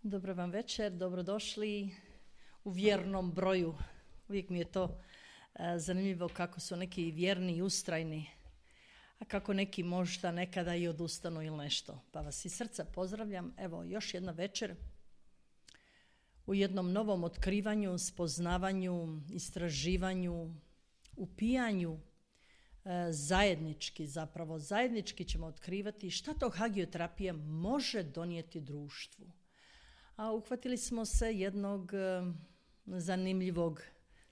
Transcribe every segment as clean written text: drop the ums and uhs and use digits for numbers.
Dobro vam večer, dobrodošli u vjernom broju. Uvijek mi je to zanimljivo kako su neki vjerni i ustrajni, a kako neki možda nekada i odustanu ili nešto. Pa vas iz srca pozdravljam. Evo, još jedna večer u jednom novom otkrivanju, spoznavanju, istraživanju, upijanju, zajednički ćemo otkrivati šta to hagioterapija može donijeti društvu. A uhvatili smo se jednog zanimljivog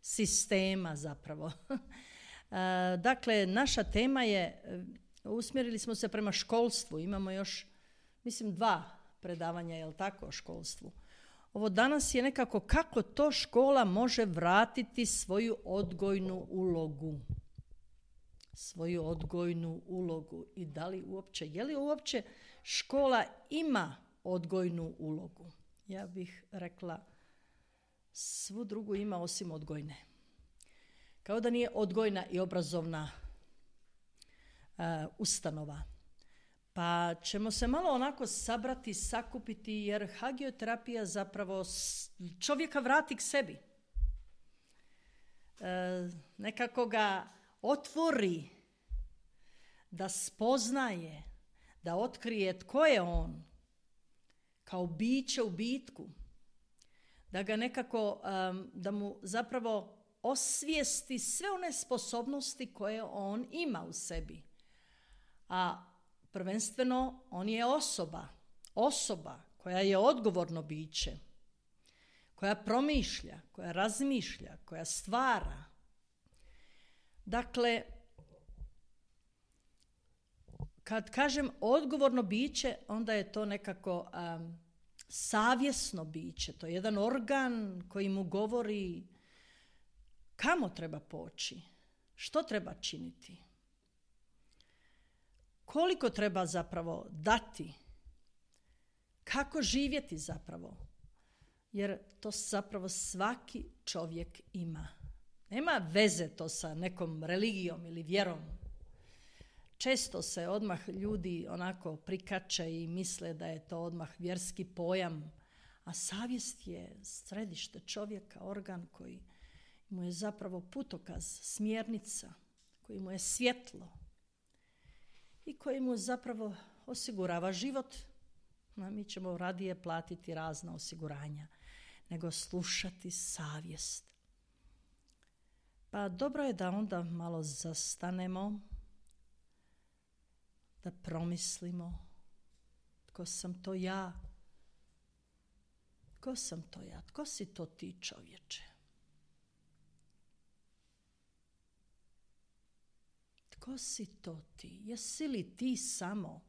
sistema zapravo. Dakle, naša tema je, usmjerili smo se prema školstvu, imamo još, mislim, 2 predavanja, jel tako, o školstvu. Ovo danas je nekako kako to škola može vratiti svoju odgojnu ulogu. I da li uopće, je li uopće škola ima odgojnu ulogu? Ja bih rekla, svu drugu ima osim odgojne. Kao da nije odgojna i obrazovna ustanova. Pa ćemo se malo onako sabrati, sakupiti, jer hagioterapija zapravo čovjeka vrati k sebi. Nekako ga otvori, da spoznaje, da otkrije tko je on, kao biće u bitku, da ga nekako, da mu zapravo osvijesti sve one sposobnosti koje on ima u sebi. A prvenstveno on je osoba koja je odgovorno biće, koja promišlja, koja razmišlja, koja stvara. Dakle, kad kažem odgovorno biće, onda je to nekako savjesno biće. To je jedan organ koji mu govori kamo treba poći, što treba činiti, koliko treba zapravo dati, kako živjeti zapravo. Jer to zapravo svaki čovjek ima. Nema veze to sa nekom religijom ili vjerom. Često se odmah ljudi onako prikače i misle da je to odmah vjerski pojam, a savjest je središte čovjeka, organ koji mu je zapravo putokaz, smjernica, koji mu je svjetlo i koji mu zapravo osigurava život. A mi ćemo radije platiti razna osiguranja nego slušati savjest. Pa dobro je da onda malo zastanemo, da promislimo tko sam to ja, tko si to ti, čovječe? Tko si to ti? Jesi li ti samo,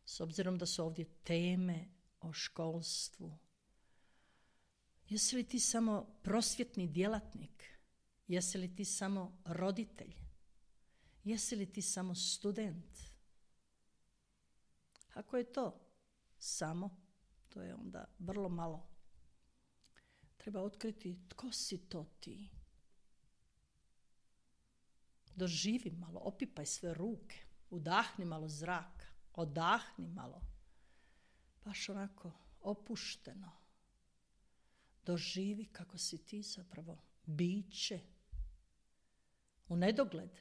s obzirom da su ovdje teme o školstvu, jesi li ti samo prosvjetni djelatnik? Jesi li ti samo roditelj? Jesi li ti samo student? Ako je to samo, to je onda vrlo malo. Treba otkriti tko si to ti. Doživi malo, opipaj sve ruke, udahni malo zraka, odahni malo. Baš onako opušteno. Doživi kako si ti zapravo biće u nedogled.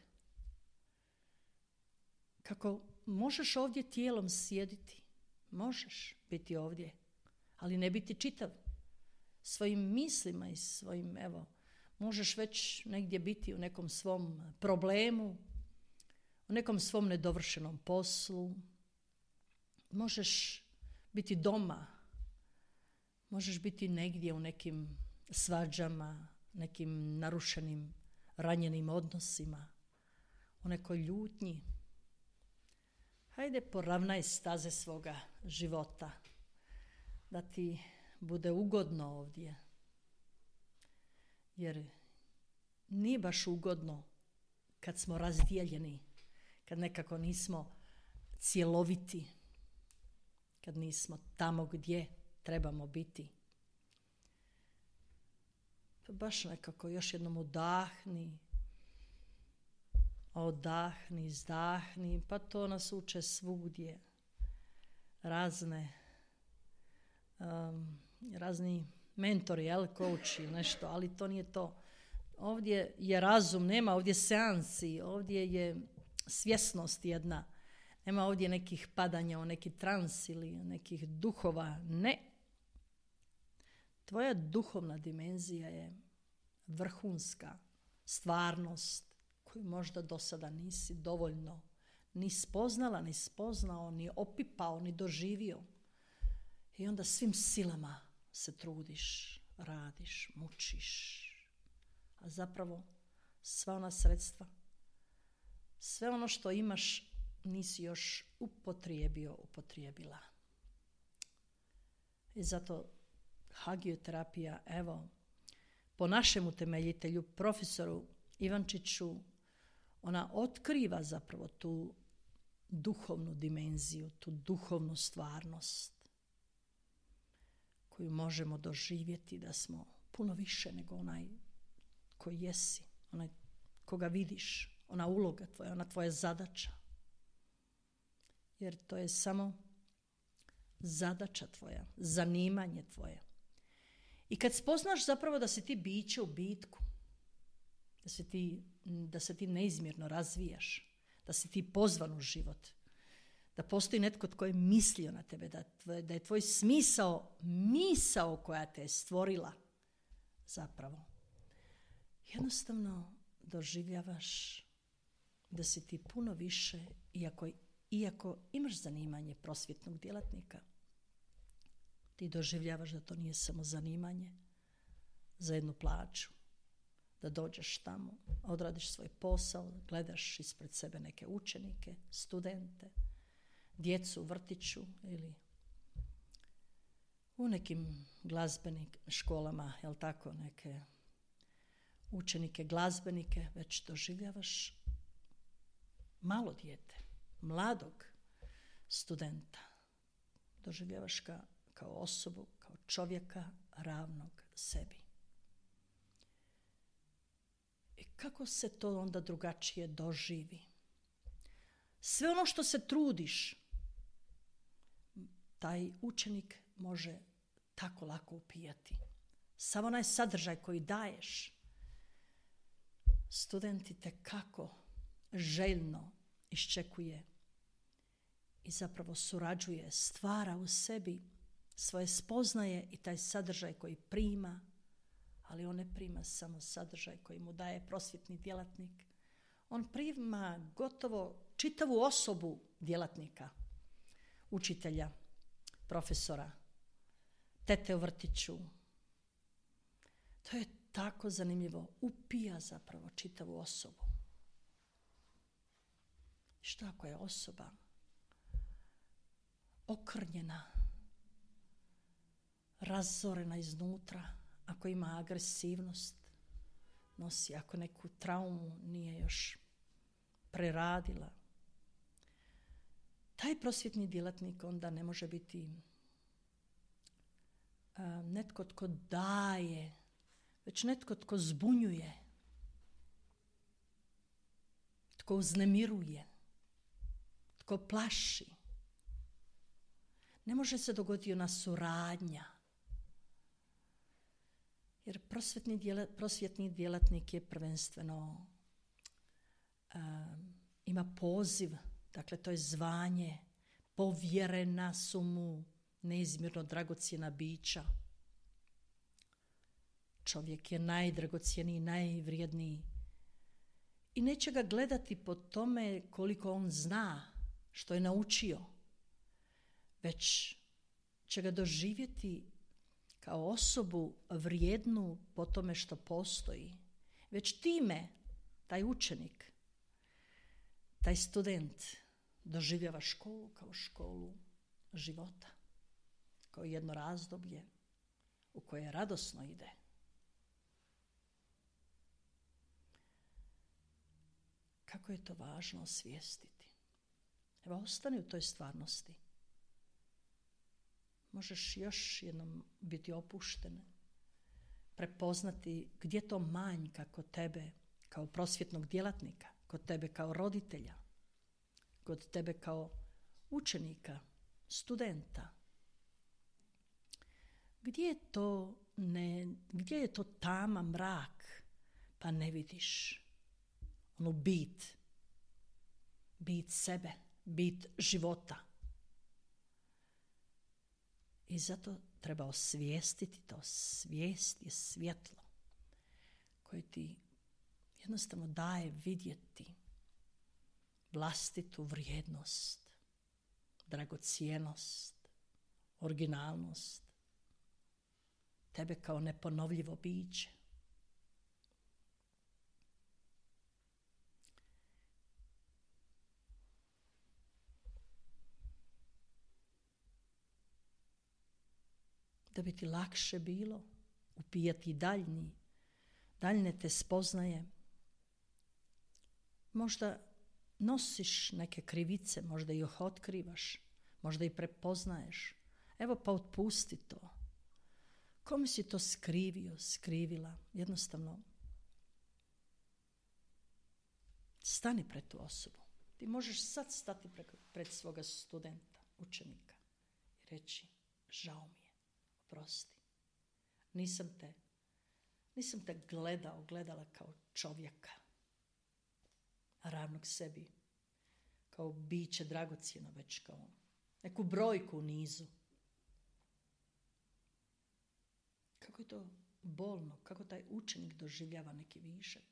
Kako možeš ovdje tijelom sjediti, možeš biti ovdje, ali ne biti čitav. Svojim mislima i svojim, možeš već negdje biti u nekom svom problemu, u nekom svom nedovršenom poslu. Možeš biti doma, možeš biti negdje u nekim svađama, nekim narušenim, ranjenim odnosima, u nekoj ljutnji. Hajde, poravnaj staze svoga života, da ti bude ugodno ovdje. Jer nije baš ugodno kad smo razdijeljeni, kad nekako nismo cjeloviti, kad nismo tamo gdje trebamo biti. Pa baš nekako još jednom udahni, izdahni, pa to nas uče svugdje. Razne razni mentori, coach ili nešto, ali to nije to. Ovdje je razum, nema ovdje seansi, ovdje je svjesnost jedna. Nema ovdje nekih padanja u neki trans ili nekih duhova. Ne. Tvoja duhovna dimenzija je vrhunska stvarnost koju možda do sada nisi dovoljno ni spoznala, ni spoznao, ni opipao, ni doživio. I onda svim silama se trudiš, radiš, mučiš. A zapravo sva ona sredstva, sve ono što imaš nisi još upotrijebila. I zato hagioterapija, evo, po našem utemeljitelju, profesoru Ivančiću, ona otkriva zapravo tu duhovnu dimenziju, tu duhovnu stvarnost koju možemo doživjeti da smo puno više nego onaj koji jesi, onaj koga vidiš, ona uloga tvoja, ona tvoja zadaća. Jer to je samo zadaća tvoja, zanimanje tvoje. I kad spoznaš zapravo da si ti biće u bitku, da se ti neizmjerno razvijaš, da si ti pozvan u život, da postoji netko tko je mislio na tebe, da je tvoj smisao misao koja te je stvorila zapravo. Jednostavno doživljavaš da si ti puno više, iako imaš zanimanje prosvjetnog djelatnika, ti doživljavaš da to nije samo zanimanje za jednu plaću, da dođeš tamo, odradiš svoj posao, gledaš ispred sebe neke učenike, studente, djecu u vrtiću ili u nekim glazbenim školama, jel tako, neke učenike, glazbenike, već doživljavaš malo dijete, mladog studenta. Doživljavaš ga kao osobu, kao čovjeka ravnog sebi. I kako se to onda drugačije doživi? Sve ono što se trudiš, taj učenik može tako lako upijati. Samo onaj sadržaj koji daješ, studenti te kako željno iščekuje i zapravo surađuje, stvara u sebi svoje spoznaje i taj sadržaj koji prima, ali on ne prima samo sadržaj koji mu daje prosvjetni djelatnik. On prima gotovo čitavu osobu djelatnika, učitelja, profesora, tete u vrtiću. To je tako zanimljivo. Upija zapravo čitavu osobu. Što ako je osoba okrnjena, razorena iznutra, ako ima agresivnost, nosi, ako neku traumu nije još preradila. Taj prosvjetni djelatnik onda ne može biti netko tko daje, već netko tko zbunjuje, tko uznemiruje, tko plaši. Ne može se dogoditi ona suradnja. Jer prosvjetni djelatnik je prvenstveno ima poziv, dakle to je zvanje, povjerena su mu neizmjerno dragocjena bića. Čovjek je najdragocjeniji, najvrijedniji. I neće ga gledati po tome koliko on zna, što je naučio, već će ga doživjeti kao osobu vrijednu po tome što postoji. Već time taj učenik, taj student doživljava školu kao školu života, kao jedno razdoblje u koje radosno ide. Kako je to važno osvijestiti. Evo, ostani u toj stvarnosti. Možeš još jednom biti opušten, prepoznati gdje to manjka kod tebe kao prosvjetnog djelatnika, kod tebe kao roditelja, kod tebe kao učenika, studenta. Gdje je to tama, mrak, pa ne vidiš onu bit sebe, bit života. I zato treba osvijestiti to. Svijest je svjetlo koje ti jednostavno daje vidjeti vlastitu vrijednost, dragocjenost, originalnost, tebe kao neponovljivo biće. Da bi ti lakše bilo upijati daljne te spoznaje. Možda nosiš neke krivice, možda ih otkrivaš, možda ih prepoznaješ. Evo pa otpusti to. Kome si to skrivila? Jednostavno stani pred tu osobu. Ti možeš sad stati pred svoga studenta, učenika i reći: žao mi je, oprosti. Nisam te gledala kao čovjeka, ravnog sebi, kao biće dragocjeno, već kao neku brojku u nizu. Kako je to bolno, kako taj učenik doživljava neki višak,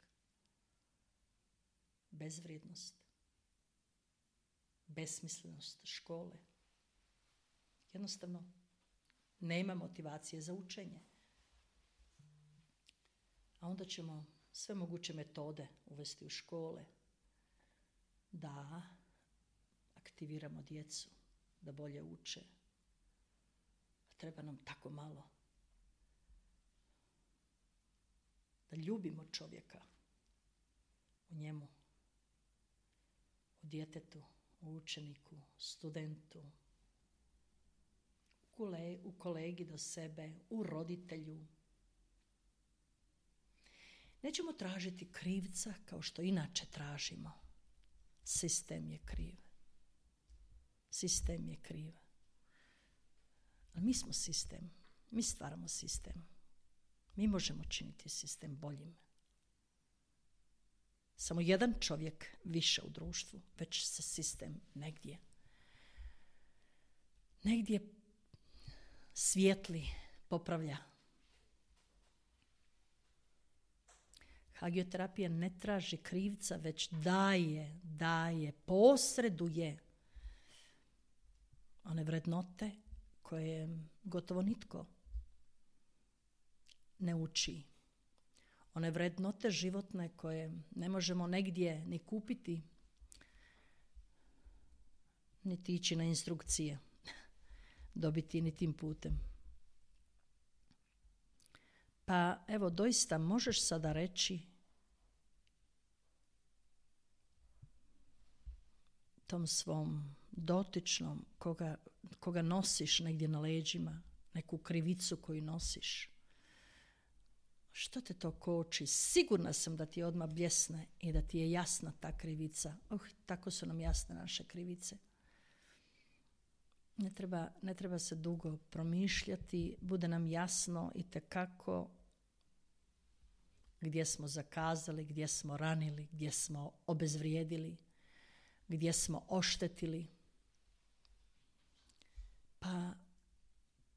bezvrijednost, besmislenost škole. Jednostavno nema motivacije za učenje. A onda ćemo sve moguće metode uvesti u škole da aktiviramo djecu, da bolje uče. Treba nam tako malo. Da ljubimo čovjeka u njemu, u djetetu, u učeniku, studentu, u kolegi do sebe, u roditelju. Nećemo tražiti krivca kao što inače tražimo. Sistem je kriv. Sistem je kriv. Ali mi smo sistem. Mi stvaramo sistem. Mi možemo činiti sistem boljim. Samo jedan čovjek više u društvu, već se sistem negdje svijetli, popravlja. Hagioterapija ne traži krivca, već daje, posreduje one vrednote koje gotovo nitko ne uči. One vrednote životne koje ne možemo negdje ni kupiti, niti ići na instrukcije, dobiti ni tim putem. Pa evo, doista možeš sada reći tom svom dotičnom koga nosiš negdje na leđima, neku krivicu koju nosiš. Što te to koči? Sigurna sam da ti je odmah bljesne i da ti je jasna ta krivica. Tako su nam jasne naše krivice. Ne treba se dugo promišljati, bude nam jasno itekako gdje smo zakazali, gdje smo ranili, gdje smo obezvrijedili, gdje smo oštetili. Pa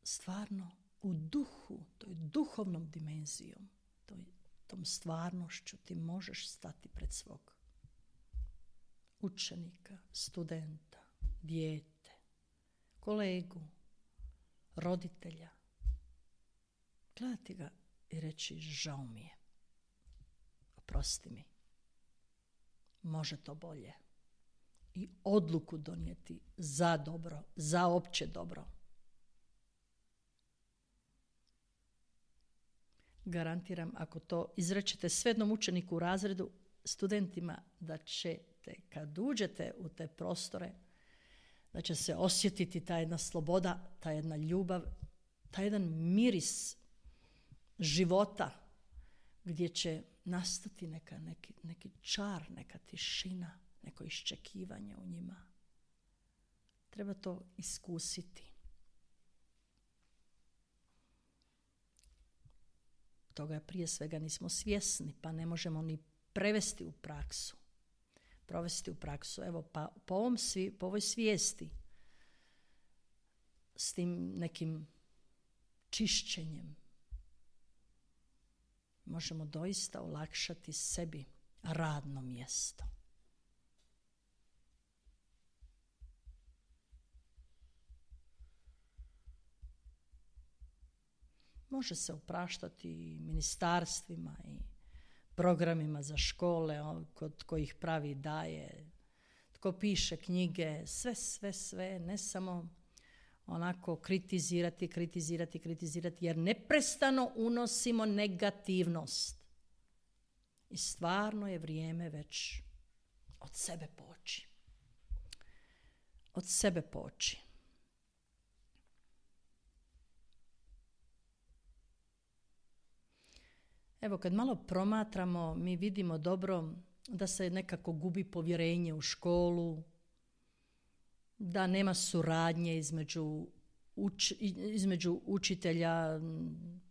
stvarno u duhu, toj duhovnom dimenzijom, tom stvarnošću ti možeš stati pred svog učenika, studenta, dijete, kolegu, roditelja. Gledati ga i reći: žao mi je, oprosti mi, može to bolje. I odluku donijeti za dobro, za opće dobro. Garantiram, ako to izrečete svednom učeniku u razredu, studentima, da ćete, kad uđete u te prostore, da će se osjetiti ta jedna sloboda, ta jedna ljubav, taj jedan miris života, gdje će nastati neki čar, neka tišina, neko iščekivanje u njima. Treba to iskusiti. toga prije svega nismo svjesni, pa ne možemo ni provesti u praksu. Evo, pa po ovoj svijesti, s tim nekim čišćenjem, možemo doista olakšati sebi radno mjesto. Može se opraštati ministarstvima i programima za škole, kod kojih pravi daje, tko piše knjige, sve, ne samo onako kritizirati, jer neprestano unosimo negativnost. I stvarno je vrijeme već od sebe poći. Evo, kad malo promatramo, mi vidimo dobro da se nekako gubi povjerenje u školu, da nema suradnje između učitelja,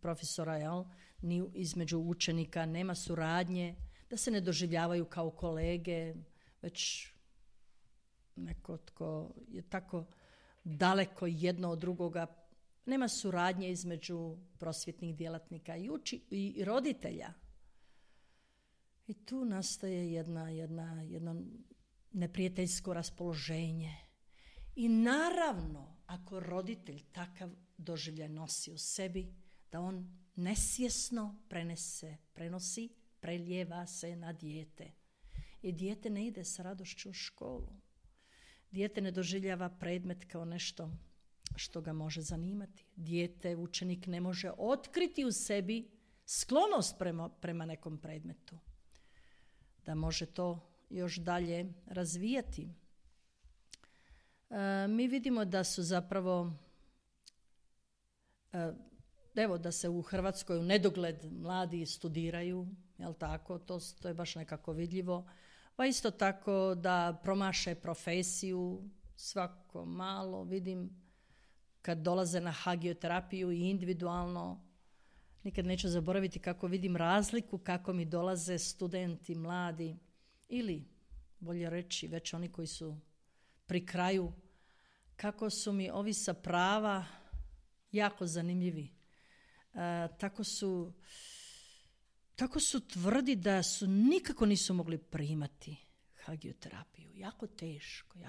profesora, ni između učenika, nema suradnje, da se ne doživljavaju kao kolege, već neko tko je tako daleko jedno od drugoga. Nema suradnje između prosvjetnih djelatnika i roditelja. I tu nastaje jedno neprijateljsko raspoloženje. I naravno, ako roditelj takav doživljaj nosi u sebi, da on nesvjesno preljeva se na dijete. I dijete ne ide sa radošću u školu. Dijete ne doživljava predmet kao nešto što ga može zanimati. Učenik ne može otkriti u sebi sklonost prema nekom predmetu. Da može to još dalje razvijati. Mi vidimo da su zapravo, da se u Hrvatskoj u nedogled mladi studiraju, jel tako? To je baš nekako vidljivo. Pa isto tako da promaše profesiju, svako malo vidim kad dolaze na hagioterapiju i individualno, nikad neću zaboraviti kako vidim razliku, kako mi dolaze studenti, mladi, ili bolje reći već oni koji su pri kraju, kako su mi ovi sa prava jako zanimljivi. Tako su tvrdi da su nikako nisu mogli primati hagioterapiju. Jako teško.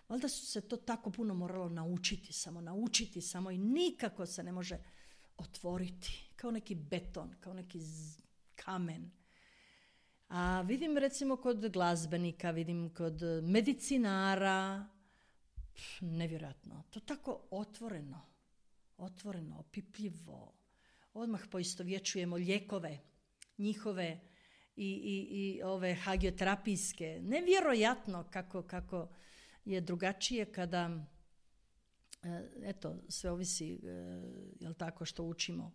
Valjda su se to tako puno moralo naučiti samo i nikako se ne može otvoriti. Kao neki beton, kao neki kamen. A vidim recimo kod glazbenika, vidim kod medicinara, nevjerojatno. To tako otvoreno, opipljivo. Odmah poistovjećujemo lijekove njihove i ove hagioterapijske. Nevjerojatno kako je drugačije kada, sve ovisi, jel tako, što učimo.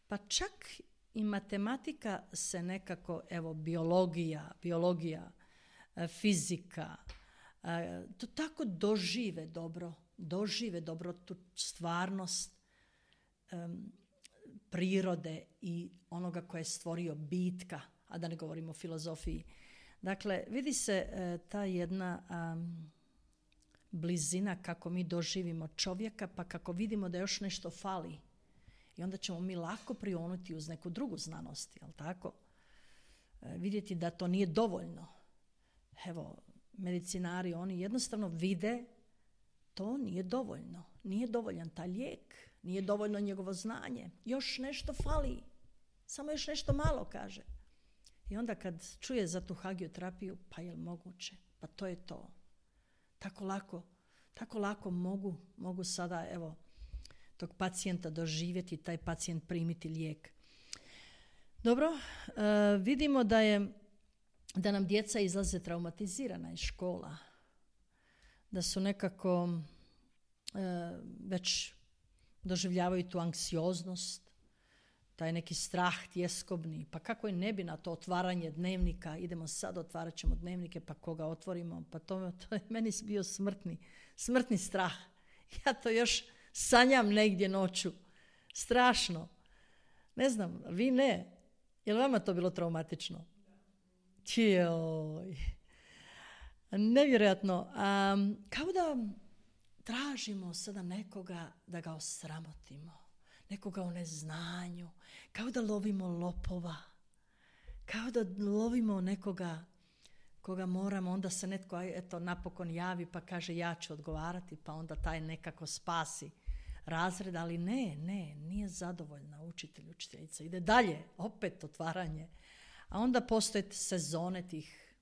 Pa čak i matematika se nekako, biologija, fizika, to tako dožive dobro tu stvarnost prirode i onoga koje je stvorio bitka, a da ne govorimo o filozofiji. Dakle, vidi se ta jedna blizina kako mi doživimo čovjeka, pa kako vidimo da još nešto fali. I onda ćemo mi lako prionuti uz neku drugu znanost, jel tako? Vidjeti da to nije dovoljno. Evo, medicinari, oni jednostavno vide to nije dovoljno. Nije dovoljan taj lijek, nije dovoljno njegovo znanje. Još nešto fali. Samo još nešto malo, kaže. I onda kad čuje za tu hagioterapiju, pa je li moguće? Pa to je to. Tako lako mogu sada, tog pacijenta doživjeti, taj pacijent primiti lijek. Dobro, vidimo da nam djeca izlaze traumatizirana iz škola. Da su nekako već doživljavaju tu anksioznost, taj neki strah tjeskobni. Pa kako i ne bi na to otvaranje dnevnika, idemo sad, otvarat ćemo dnevnike, pa koga otvorimo, pa to je meni bio smrtni strah. Ja to još sanjam negdje noću. Strašno. Ne znam, vi ne. Je li vama to bilo traumatično? Joj. Nevjerojatno. Kao da tražimo sada nekoga da ga osramotimo. Nekoga u neznanju. Kao da lovimo lopova. Kao da lovimo nekoga koga moramo, onda se netko napokon javi pa kaže ja ću odgovarati, pa onda taj nekako spasi razred, ali nije zadovoljna učiteljica. Ide dalje, opet otvaranje. A onda postoje sezone tih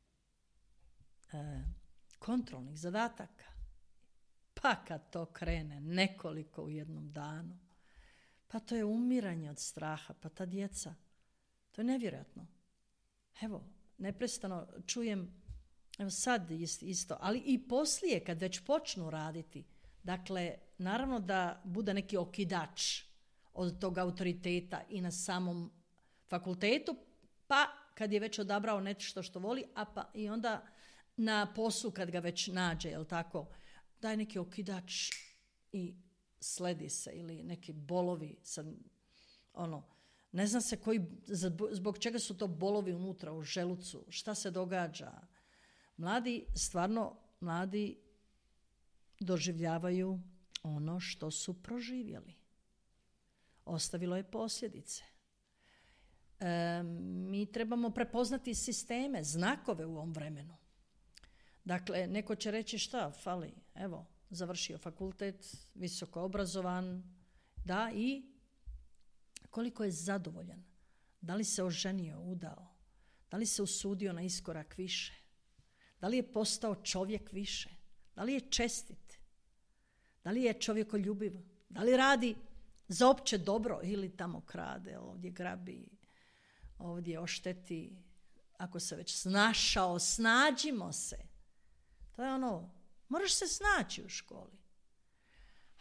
kontrolnih zadataka. Pa kad to krene nekoliko u jednom danu, pa to je umiranje od straha, pa ta djeca, to je nevjerojatno. Evo, neprestano čujem, evo sad isto, ali i poslije kad već počnu raditi, dakle, naravno da bude neki okidač od tog autoriteta i na samom fakultetu, pa kad je već odabrao nešto što voli, pa i onda na poslu kad ga već nađe, jel tako, daje neki okidač i sledi se, ili neki bolovi, sad, ne zna se zbog čega su to bolovi unutra u želucu, šta se događa. Mladi doživljavaju ono što su proživjeli. Ostavilo je posljedice. Mi trebamo prepoznati sisteme, znakove u ovom vremenu. Dakle, neko će reći šta fali, evo, završio fakultet, visoko obrazovan, da, i koliko je zadovoljan, da li se oženio, udao, da li se usudio na iskorak više, da li je postao čovjek više, da li je čestit, da li je čovjekoljubiv, da li radi za opće dobro ili tamo krade, ovdje grabi, ovdje ošteti, ako se već snašao, snađimo se. To je moraš se snaći u školi.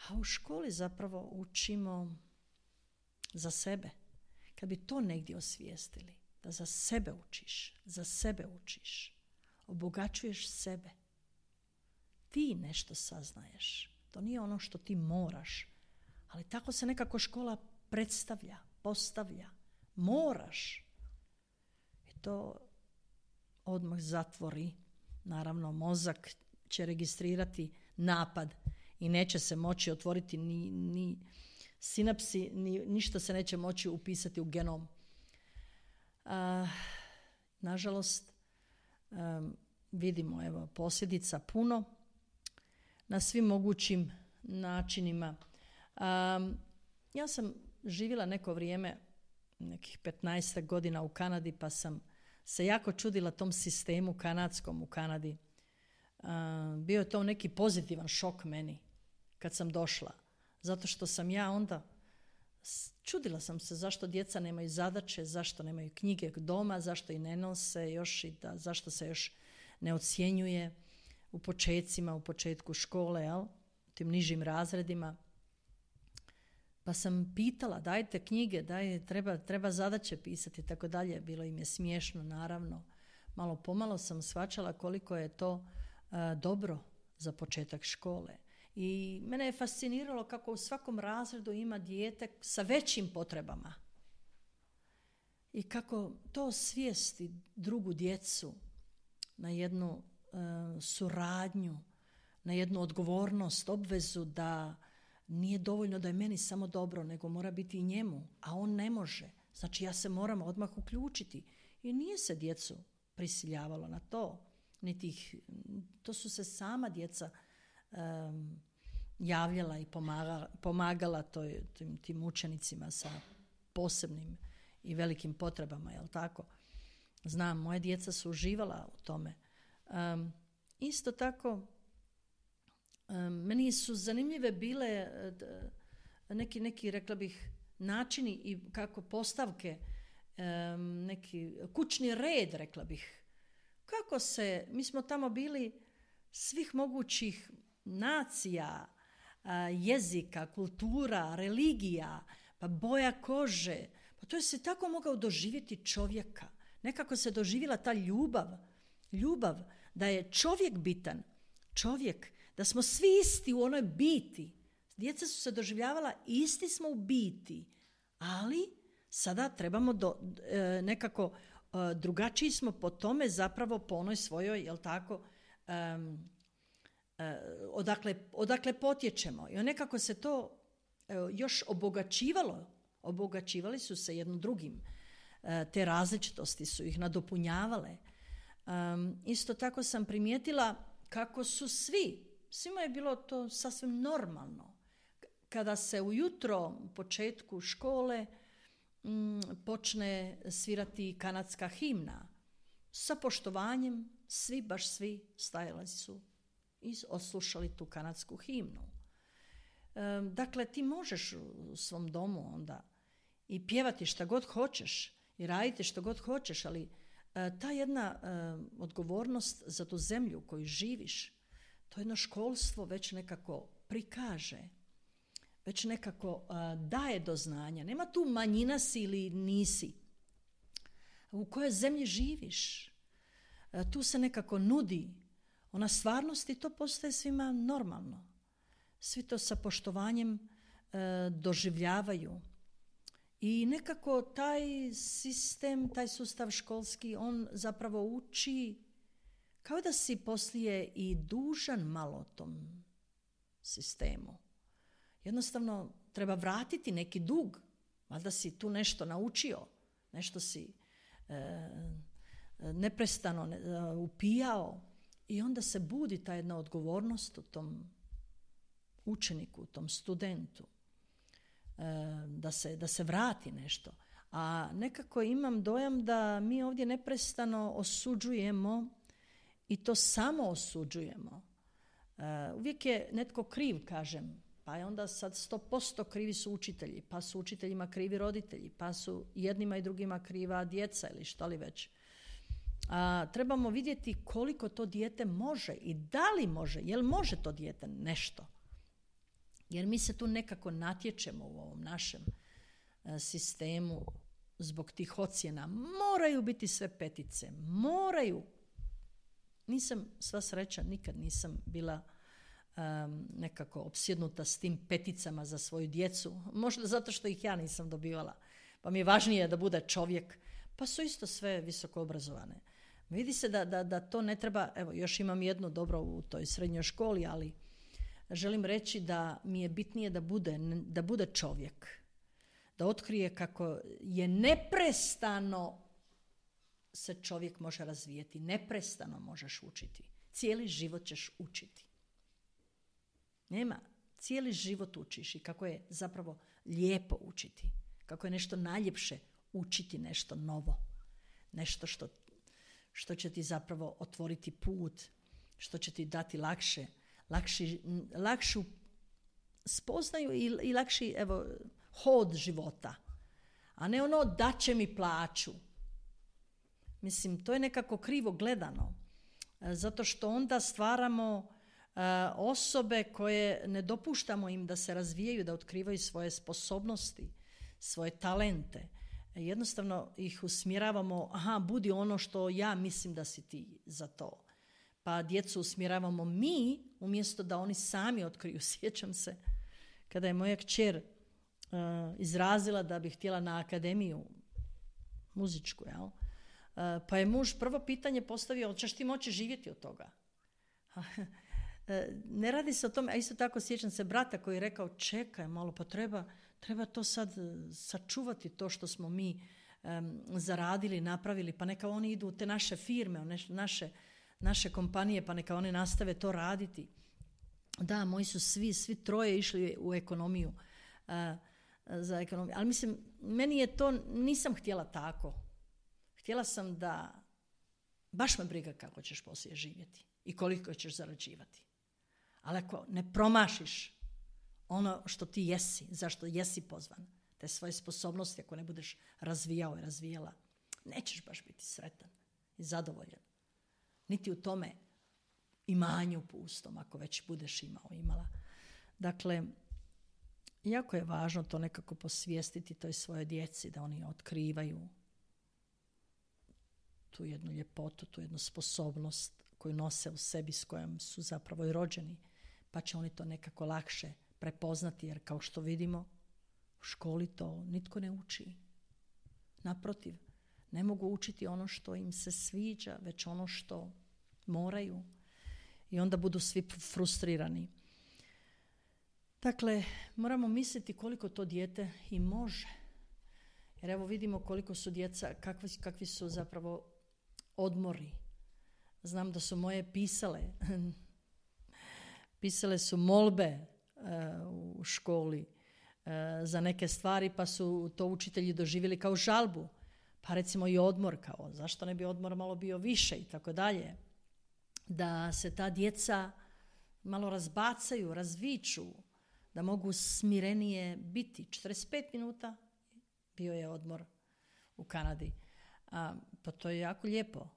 A u školi zapravo učimo za sebe. Kad bi to negdje osvijestili, da za sebe učiš, obogaćuješ sebe. Ti nešto saznaješ. To nije ono što ti moraš. Ali tako se nekako škola predstavlja, postavlja. Moraš. I to odmah zatvori. Naravno, mozak će registrirati napad i neće se moći otvoriti ni sinapsi, ništa se neće moći upisati u genom. Nažalost, vidimo posljedica puno na svim mogućim načinima. Ja sam živjela neko vrijeme, nekih 15 godina u Kanadi, pa sam se jako čudila tom sistemu kanadskom u Kanadi. Bio je to neki pozitivan šok meni kad sam došla. Zato što sam ja onda čudila sam se zašto djeca nemaju zadaće, zašto nemaju knjige doma, zašto i ne nose još i zašto se još ne ocjenjuje u početku škole, jel? U tim nižim razredima. Pa sam pitala, dajte knjige, treba zadaće pisati i tako dalje. Bilo im je smiješno, naravno. Malo pomalo sam shvaćala koliko je to dobro za početak škole. I mene je fasciniralo kako u svakom razredu ima dijete sa većim potrebama. I kako to svijesti drugu djecu na jednu suradnju, na jednu odgovornost, obvezu da nije dovoljno da je meni samo dobro, nego mora biti i njemu, a on ne može. Znači ja se moram odmah uključiti. I nije se djecu prisiljavalo na to. To su se sama djeca javljala i pomagala tim učenicima sa posebnim i velikim potrebama, jel tako? Znam, moje djeca su uživala u tome. Isto tako, meni su zanimljive bile neki, rekla bih, načini i kako postavke, neki kućni red, rekla bih. Kako mi smo tamo bili svih mogućih nacija, jezika, kultura, religija, pa boja kože. Pa to je se tako mogao doživjeti čovjeka. Nekako se doživjela ta ljubav da je čovjek bitan, da smo svi isti u onoj biti. Djeca su se doživljavala, isti smo u biti, ali Sada trebamo nekako drugačiji smo po tome zapravo po onoj svojoj, jel tako, odakle potječemo. I nekako se to još obogaćivali su se jednim drugim. Te različitosti su ih nadopunjavale. Isto tako sam primijetila kako su svima je bilo to sasvim normalno. Kada se ujutro u početku škole počne svirati kanadska himna, sa poštovanjem baš svi stajali su i odslušali tu kanadsku himnu. Dakle, ti možeš u svom domu onda i pjevati šta god hoćeš i raditi što god hoćeš, ali ta jedna odgovornost za tu zemlju u kojoj živiš, to jedno školstvo već nekako prikaže, već nekako daje do znanja. Nema tu manjina si ili nisi. U kojoj zemlji živiš? Tu se nekako nudi ona stvarnost i to postaje svima normalno. Svi to sa poštovanjem doživljavaju. I nekako taj sistem, taj sustav školski, on zapravo uči kao da si poslije i dužan malo tom sistemu. Jednostavno treba vratiti neki dug, valjda si tu nešto naučio, nešto si neprestano upijao i onda se budi ta jedna odgovornost u tom učeniku, u tom studentu, da se vrati nešto. A nekako imam dojam da mi ovdje neprestano osuđujemo i to samo osuđujemo. Uvijek je netko kriv, kažem, pa je onda sad 100% krivi su učitelji, pa su učiteljima krivi roditelji, pa su jednima i drugima kriva djeca ili što li već. Trebamo vidjeti koliko to dijete može i da li može, jel može to dijete nešto. Jer mi se tu nekako natječemo u ovom našem sistemu zbog tih ocjena. Moraju biti sve petice, moraju. Nisam, sva sreća, nikad nisam bila nekako opsjednuta s tim peticama za svoju djecu. Možda zato što ih ja nisam dobivala. Pa mi je važnije da bude čovjek. Pa su isto sve visoko obrazovane. Vidi se da to ne treba, evo još imam jedno dobro u toj srednjoj školi, ali želim reći da mi je bitnije da bude čovjek. Da otkrije kako je neprestano se čovjek može razvijeti. Neprestano možeš učiti. Cijeli život ćeš učiti. Nema. Cijeli život učiš i kako je zapravo lijepo učiti. Kako je nešto najljepše učiti nešto novo. Nešto što će ti zapravo otvoriti put. Što će ti dati lakšu spoznaju i lakši hod života. A ne ono da će mi plaću. Mislim, to je nekako krivo gledano. Zato što onda stvaramo osobe koje ne dopuštamo im da se razvijaju, da otkrivaju svoje sposobnosti, svoje talente. Jednostavno ih usmjeravamo, budi ono što ja mislim da si ti za to. Pa djecu usmjeravamo mi, umjesto da oni sami otkriju. Sjećam se kada je moja kćer izrazila da bi htjela na akademiju muzičku, jel? Pa je muž prvo pitanje postavio, hoćeš ti moći živjeti od toga? Ne radi se o tome, a isto tako sjećam se brata koji je rekao, čekaj malo, pa treba to sad sačuvati to što smo mi zaradili, napravili, pa neka oni idu u te naše firme, naše kompanije, pa neka oni nastave to raditi. Da, moji su svi troje išli u ekonomiju, za ekonomiju. Ali mislim, meni je to, nisam htjela tako. Htjela sam da, baš me briga kako ćeš poslije živjeti i koliko ćeš zarađivati. Ali ako ne promašiš ono što ti jesi, zašto jesi pozvan, te svoje sposobnosti, ako ne budeš razvijao i razvijala, nećeš baš biti sretan i zadovoljan. Niti u tome imanju pustom, ako već budeš imala. Dakle, jako je važno to nekako posvijestiti toj svojoj djeci, da oni otkrivaju tu jednu ljepotu, tu jednu sposobnost koju nose u sebi, s kojom su zapravo i rođeni, pa će oni to nekako lakše prepoznati, jer kao što vidimo, u školi to nitko ne uči. Naprotiv, ne mogu učiti ono što im se sviđa, već ono što moraju. I onda budu svi frustrirani. Dakle, moramo misliti koliko to dijete i može. Jer evo vidimo koliko su djeca, kakvi su zapravo odmori. Znam da su moje pisale su molbe u školi za neke stvari, pa su to učitelji doživjeli kao žalbu. Pa recimo i odmor, kao zašto ne bi odmor malo bio više i tako dalje. Da se ta djeca malo razbacaju, razviču, da mogu smirenije biti. 45 minuta bio je odmor u Kanadi. Pa to je jako lijepo,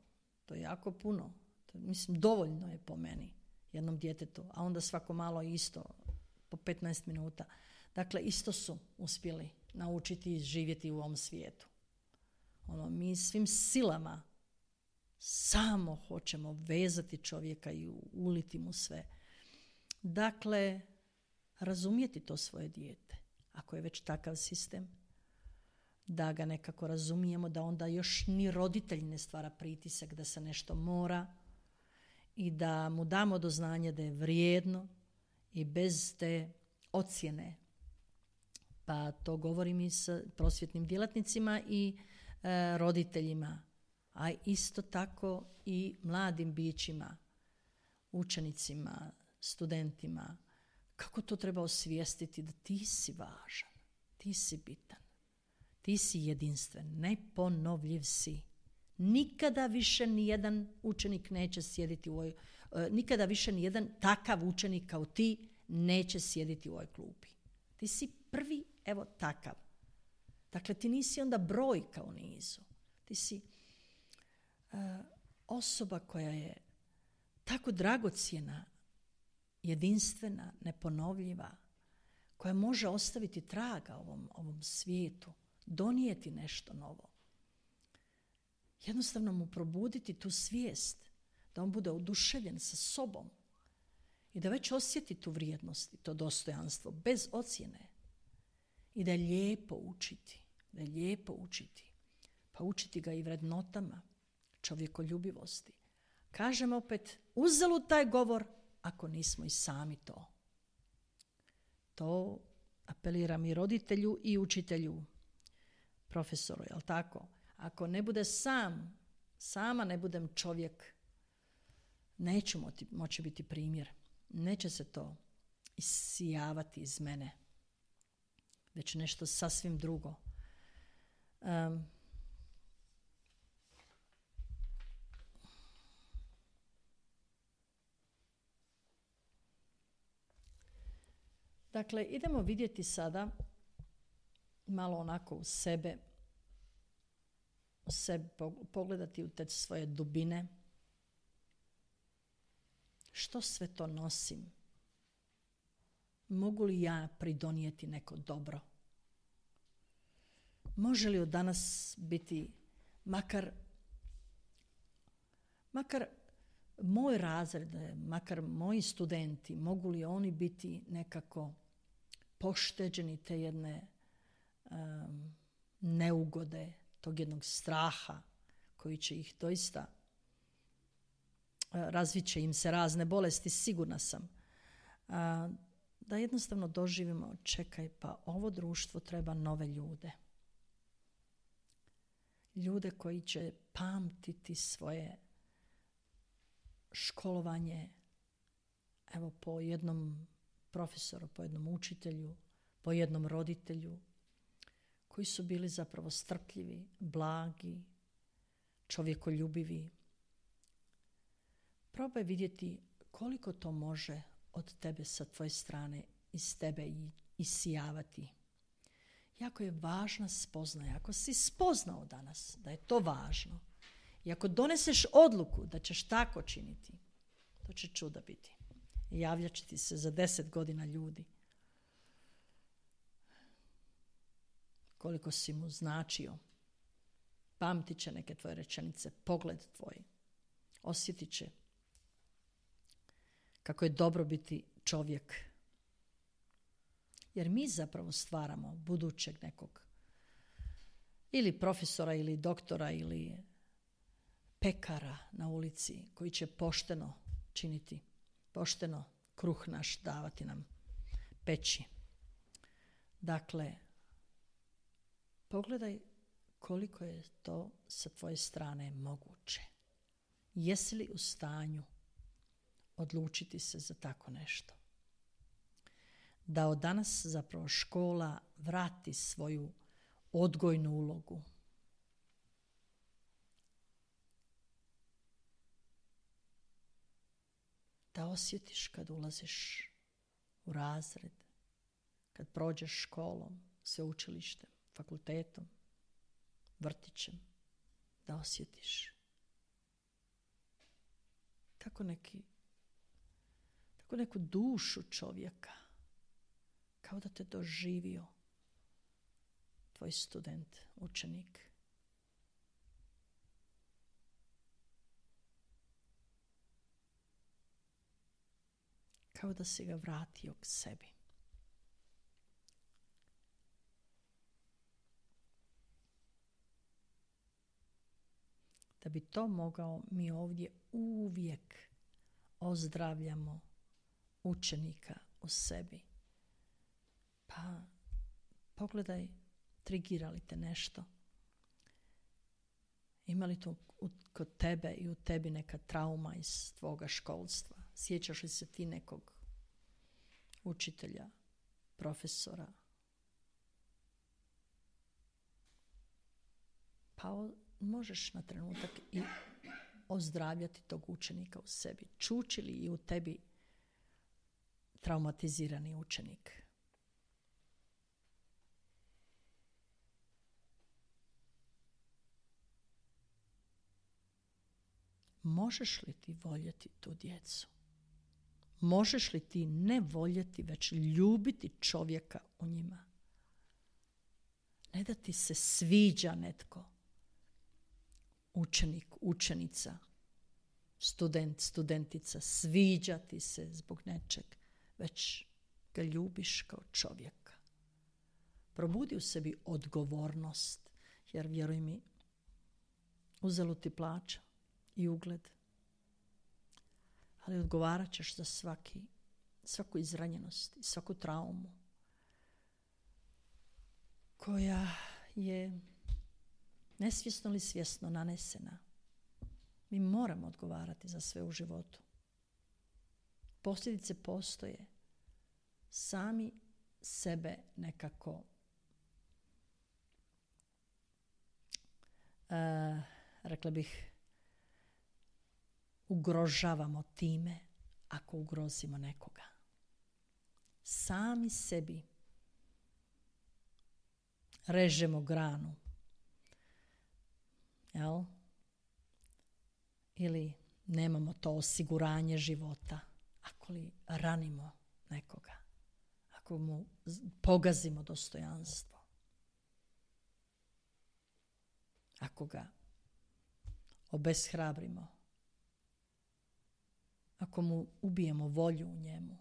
to je jako puno. Mislim, dovoljno je po meni jednom djetetu, a onda svako malo isto, po 15 minuta. Dakle, isto su uspjeli naučiti i živjeti u ovom svijetu. Mi svim silama samo hoćemo vezati čovjeka i uliti mu sve. Dakle, razumjeti to svoje dijete, ako je već takav sistem, da ga nekako razumijemo, da onda još ni roditelj ne stvara pritisak da se nešto mora i da mu damo do znanja da je vrijedno i bez te ocjene. Pa to govorim i s prosvjetnim djelatnicima i roditeljima, a isto tako i mladim bićima, učenicima, studentima, kako to treba osvijestiti da ti si važan, ti si bitan, ti si jedinstven, neponovljiv si. Nikada više nijedan učenik neće sjediti u ovoj, nikada više nijedan takav učenik kao ti neće sjediti u ovoj klupi. Ti si prvi, evo takav. Dakle, ti nisi onda brojka u nizu. Ti si osoba koja je tako dragocjena, jedinstvena, neponovljiva, koja može ostaviti traga ovom svijetu, donijeti nešto novo. Jednostavno mu probuditi tu svijest, da on bude oduševljen sa sobom i da već osjeti tu vrijednost i to dostojanstvo, bez ocjene. I da je lijepo učiti, Pa učiti ga i vrednotama, čovjekoljubivosti. Kažem opet, uzalud taj govor ako nismo i sami to. To apeliram i roditelju i učitelju, profesoru, jel tako? Ako ne bude sama ne budem čovjek, neću moći biti primjer. Neće se to isijavati iz mene, već nešto sasvim drugo. Dakle, idemo vidjeti sada malo onako u sebe pogledati u te svoje dubine. Što sve to nosim? Mogu li ja pridonijeti neko dobro? Može li od danas biti makar moj razred, makar moji studenti, mogu li oni biti nekako pošteđeni te jedne neugode, tog jednog straha koji će ih doista razvit će im se razne bolesti, sigurna sam. Da jednostavno doživimo, čekaj, pa ovo društvo treba nove ljude. Ljude koji će pamtiti svoje školovanje, evo po jednom profesoru, po jednom učitelju, po jednom roditelju, koji su bili zapravo strpljivi, blagi, čovjekoljubivi. Probaj vidjeti koliko to može od tebe sa tvoje strane iz tebe isijavati. Jako je važna spoznaja. Ako si spoznao danas da je to važno i ako doneseš odluku da ćeš tako činiti, to će čuda biti. Javljat će ti se za 10 godina ljudi. Koliko si mu značio. Pamtit će neke tvoje rečenice, pogled tvoj. Osjetit će kako je dobro biti čovjek. Jer mi zapravo stvaramo budućeg nekog ili profesora ili doktora ili pekara na ulici koji će pošteno činiti, pošteno kruh naš davati nam, peći. Dakle, pogledaj koliko je to sa tvoje strane moguće. Jesi li u stanju odlučiti se za tako nešto? Da od danas zapravo škola vrati svoju odgojnu ulogu. Da osjetiš kad ulaziš u razred, kad prođeš školom, sveučilištem, fakultetom, vrtićem, da osjetiš tako neku dušu čovjeka, kao da te doživio tvoj student, učenik. Kao da si ga vratio k sebi. Da bi to mogao, mi ovdje uvijek ozdravljamo učenika u sebi. Pa pogledaj, trigira li te nešto? Ima li to kod tebe i u tebi neka trauma iz tvoga školstva? Sjećaš li se ti nekog učitelja, profesora? Pa možeš na trenutak i ozdravljati tog učenika u sebi. Čuči li i u tebi traumatizirani učenik? Možeš li ti voljeti tu djecu? Možeš li ti ne voljeti, već ljubiti čovjeka u njima? Ne da ti se sviđa netko, učenik, učenica, student, studentica, sviđa ti se zbog nečeg, već ga ljubiš kao čovjeka. Probudi u sebi odgovornost, jer vjeruj mi, uzalud ti plaća i ugled, ali odgovarat ćeš za svaku izranjenost i svaku traumu koja je nesvjesno ili svjesno nanesena. Mi moramo odgovarati za sve u životu. Posljedice postoje. Sami sebe nekako rekla bih ugrožavamo time ako ugrozimo nekoga. Sami sebi režemo granu. Jel? Ili nemamo to osiguranje života ako li ranimo nekoga, ako mu pogazimo dostojanstvo, ako ga obeshrabrimo, ako mu ubijemo volju u njemu.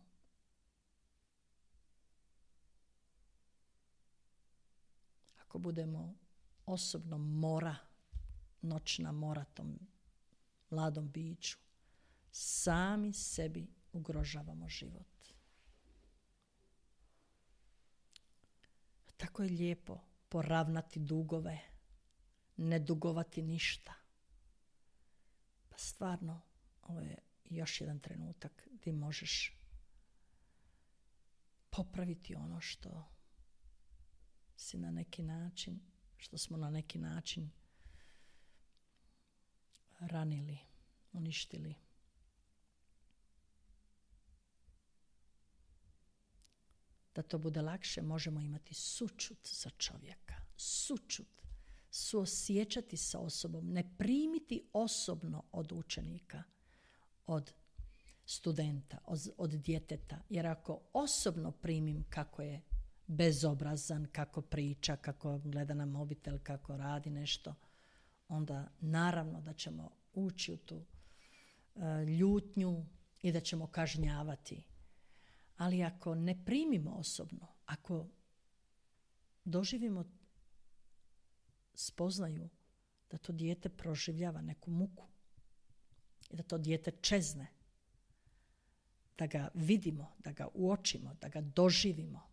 Ako budemo osobno noćna mora tom mladom biću, sami sebi ugrožavamo život. Tako je lijepo poravnati dugove, ne dugovati ništa. Pa stvarno, ovo je još jedan trenutak gdje možeš popraviti ono što si na neki način, što smo na neki način ranili, uništili. Da to bude lakše, možemo imati sućut za čovjeka. Sućut. Suosjećati sa osobom. Ne primiti osobno od učenika, od studenta, od djeteta. Jer ako osobno primim kako je bezobrazan, kako priča, kako gleda na mobitel, kako radi nešto, onda naravno da ćemo ući u tu ljutnju i da ćemo kažnjavati. Ali ako ne primimo osobno, ako doživimo spoznaju da to dijete proživljava neku muku i da to dijete čezne, da ga vidimo, da ga uočimo, da ga doživimo.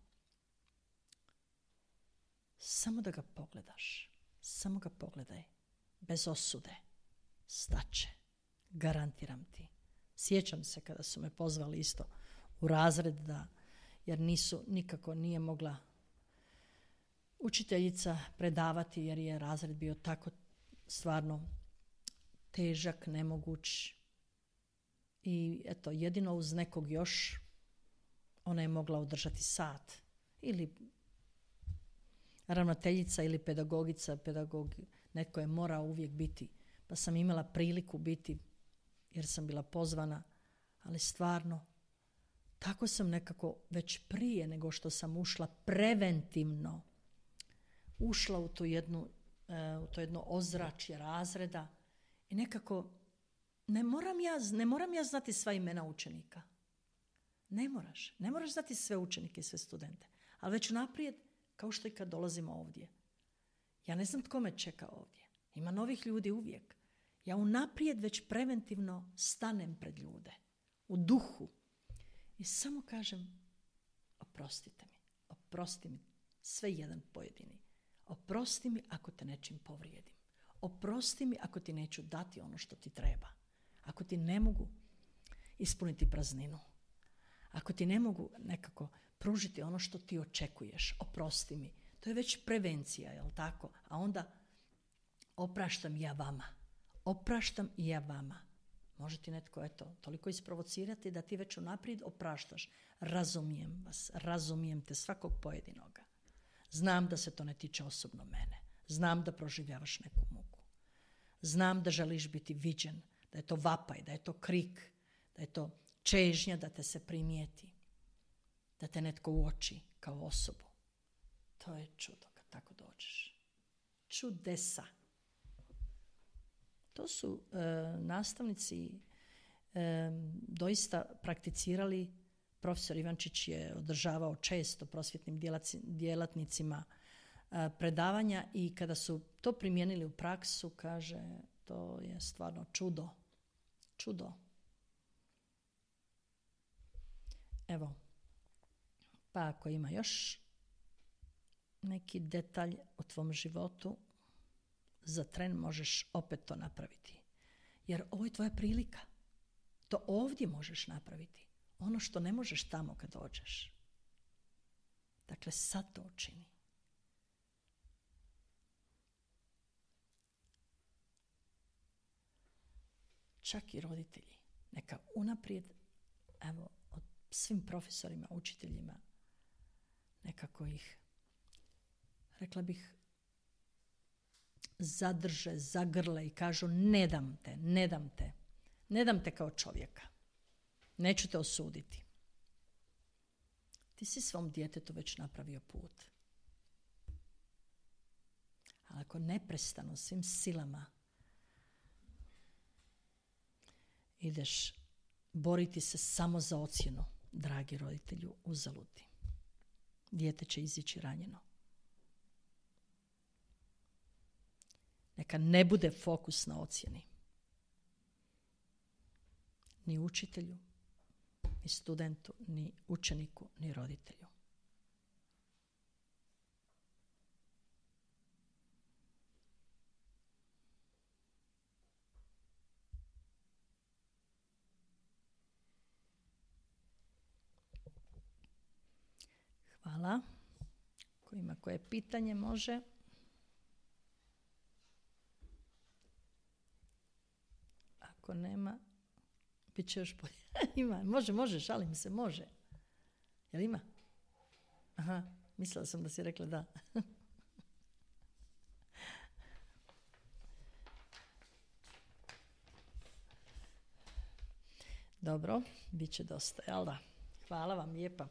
Samo da ga pogledaš, samo ga pogledaj, bez osude, staće, garantiram ti. Sjećam se kada su me pozvali isto u razred, jer nikako nije mogla učiteljica predavati, jer je razred bio tako stvarno težak, nemoguć. I eto, jedino uz nekog još ona je mogla održati sat. Ili ravnateljica ili pedagogica, netko je morao uvijek biti. Pa sam imala priliku biti jer sam bila pozvana, ali stvarno tako sam nekako već prije nego što sam ušla preventivno ušla u to jedno ozračje razreda i nekako ne moram ja znati sva imena učenika. Ne moraš znati sve učenike i sve studente, ali već unaprijed, kao što i kad dolazimo ovdje. Ja ne znam tko me čeka ovdje. Ima novih ljudi uvijek. Ja unaprijed već preventivno stanem pred ljude, u duhu i samo kažem oprosti mi, sve jedan pojedini. Oprosti mi ako te nečim povrijedim. Oprosti mi ako ti neću dati ono što ti treba. Ako ti ne mogu ispuniti prazninu. Ako ti ne mogu nekako pružiti ono što ti očekuješ. Oprosti mi. To je već prevencija, jel tako? A onda opraštam i ja vama. Može ti netko toliko isprovocirati da ti već unaprijed opraštaš. Razumijem te svakog pojedinoga. Znam da se to ne tiče osobno mene. Znam da proživljavaš neku muku. Znam da želiš biti viđen, da je to vapaj, da je to krik, da je to čežnja da te se primijeti, da te netko uoči kao osobu. To je čudo kad tako dođeš. Čudesa. To su nastavnici doista prakticirali. Profesor Ivančić je održavao često prosvjetnim djelatnicima predavanja i kada su to primijenili u praksu, kaže, to je stvarno čudo. Čudo. Evo, pa ako ima još neki detalj o tvom životu, za tren možeš opet to napraviti. Jer ovo je tvoja prilika. To ovdje možeš napraviti. Ono što ne možeš tamo kad dođeš. Dakle, sad to učini. Čak i roditelji. Neka unaprijed, evo, od svim profesorima, učiteljima, nekako ih, rekla bih, zadrže, zagrle i kažu ne dam te kao čovjeka. Neću te osuditi. Ti si svom djetetu već napravio put. Ali ako neprestano svim silama ideš boriti se samo za ocjenu, dragi roditelju, uzaludi. Dijete će izići ranjeno. Neka ne bude fokus na ocjeni. Ni učitelju, ni studentu, ni učeniku, ni roditelju. Hvala. Ko ima koje pitanje može? Ako nema, bit će još bolje. Ima, može, šalim se, može. Jel ima? Aha, mislila sam da si rekla da. Dobro, bit će dosta, jel da? Hvala vam lijepa.